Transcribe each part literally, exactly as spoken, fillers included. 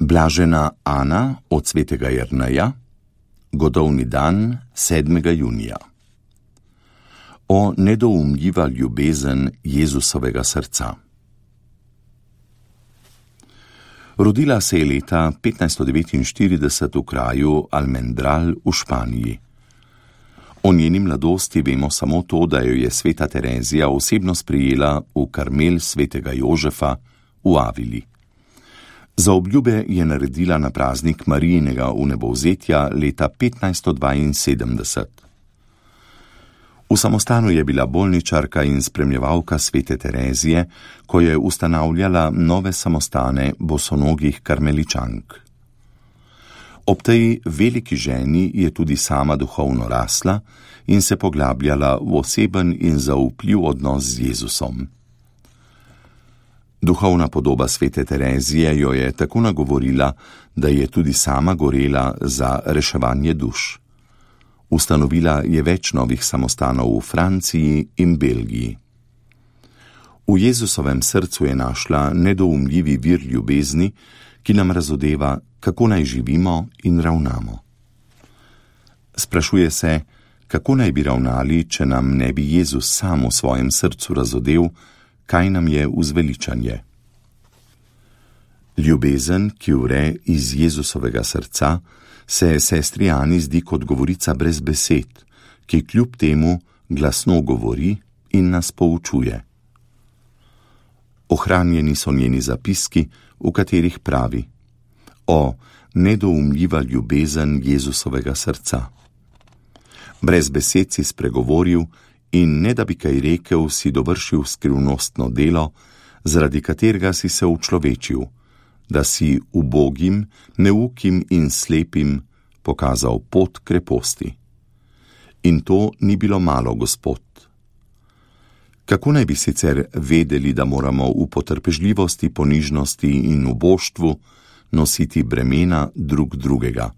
Blažena Ana od svetega Jerneja, godovni dan sedmega junija. O nedoumljiva ljubezen Jezusovega srca. Rodila se je leta petnajststo devetinštirideset v kraju Almendral v Španiji. O njeni mladosti vemo samo to, da jo je sveta Terezija osebno sprejela v Karmel svetega Jožefa v Avili. Za obljube je naredila na praznik Marijinega vnebovzetja leta petnajststo dvainsedemdeset. V samostanu je bila bolničarka in spremljevalka svete Terezije, ko je ustanavljala nove samostane bosonogih karmeličank. Ob tej veliki ženi je tudi sama duhovno rasla in se poglabljala v oseben in zaupljiv odnos z Jezusom. Duhovna podoba svete Terezije jo je tako nagovorila, da je tudi sama gorela za reševanje duš. Ustanovila je več novih samostanov v Franciji in Belgiji. V Jezusovem srcu je našla nedoumljivi vir ljubezni, ki nam razodeva, kako naj živimo in ravnamo. Sprašuje se, kako naj bi ravnali, če nam ne bi Jezus sam v svojem srcu razodel, kaj nam je vzveličanje. Ljubezen, ki vre iz Jezusovega srca, se sestri Ani zdi kot govorica brez besed, ki kljub temu glasno govori in nas poučuje. Ohranjeni so njeni zapiski, v katerih pravi: O, nedoumljiva ljubezen Jezusovega srca. Brez besed si spregovoril in ne da bi kaj rekel, si dovršil skrivnostno delo, zaradi katerega si se učlovečil, da si ubogim, neukim in slepim pokazal pot kreposti. In to ni bilo malo, Gospod. Kako naj bi sicer vedeli, da moramo v potrpežljivosti, ponižnosti in uboštvu nositi bremena drug drugega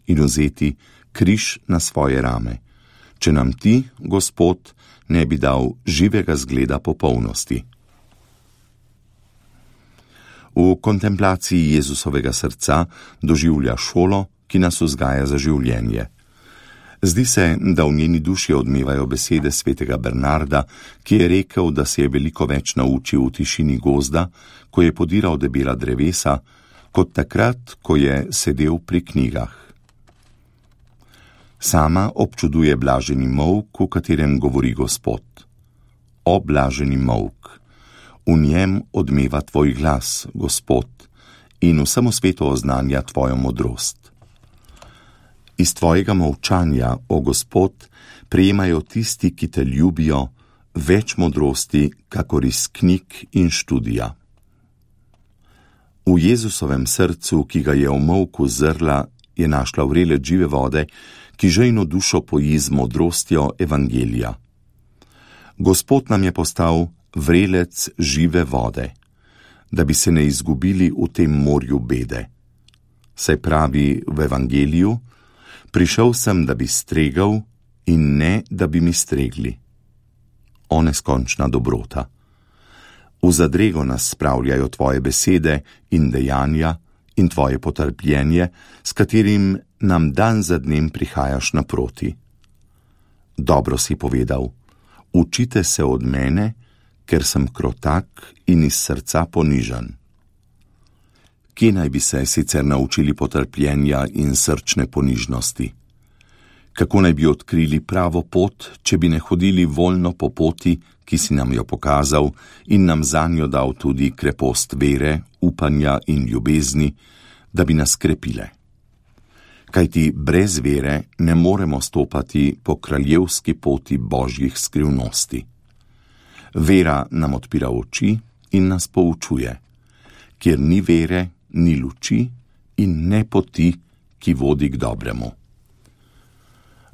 in vzeti križ na svoje rame, če nam ti, Gospod, ne bi dal živega zgleda popolnosti. V kontemplaciji Jezusovega srca doživlja šolo, ki nas vzgaja za življenje. Zdi se, da v njeni duši odmevajo besede svetega Bernarda, ki je rekel, da se je veliko več naučil v tišini gozda, ko je podiral debela drevesa, kot takrat, ko je sedel pri knjigah. Sama občuduje blaženi molk, v katerem govori Gospod. O blaženi molk! V njem odmeva tvoj glas, Gospod, in vsemu svetu oznanja tvojo modrost. Iz tvojega molčanja, o Gospod, prejemajo tisti, ki te ljubijo, več modrosti, kakor iz knjig in študija. V Jezusovem srcu, ki ga je v molku zrla, je našla vrele žive vode, ki žejno dušo poji z modrostjo evangelija. Gospod nam je postal vrelec žive vode, da bi se ne izgubili v tem morju bede. Saj pravi v evangeliju: prišel sem, da bi stregal in ne, da bi mi stregli. O neskončna dobrota! V zadrego nas spravljajo tvoje besede in dejanja in tvoje potrpljenje, s katerim nam dan za dnem prihajaš naproti. Dobro si povedal: učite se od mene, ker sem krotak in iz srca ponižan. Kje naj bi se sicer naučili potrpljenja in srčne ponižnosti? Kako naj bi odkrili pravo pot, če bi ne hodili voljno po poti, ki si nam jo pokazal in nam zanjo dal tudi krepost vere, upanja in ljubezni, da bi nas krepile? Kajti brez vere ne moremo stopati po kraljevski poti božjih skrivnosti. Vera nam odpira oči in nas poučuje. Kjer ni vere, ni luči in ne poti, ki vodi k dobremu.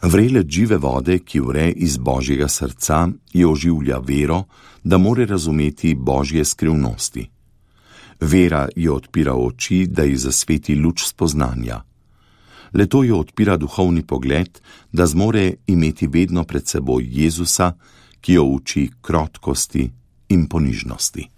Vrelec žive vode, ki vre iz božjega srca, je oživlja vero, da more razumeti božje skrivnosti. Vera jo odpira oči, da ji zasveti luč spoznanja. Le to jo odpira duhovni pogled, da zmore imeti vedno pred seboj Jezusa, ki jo uči krotkosti in ponižnosti.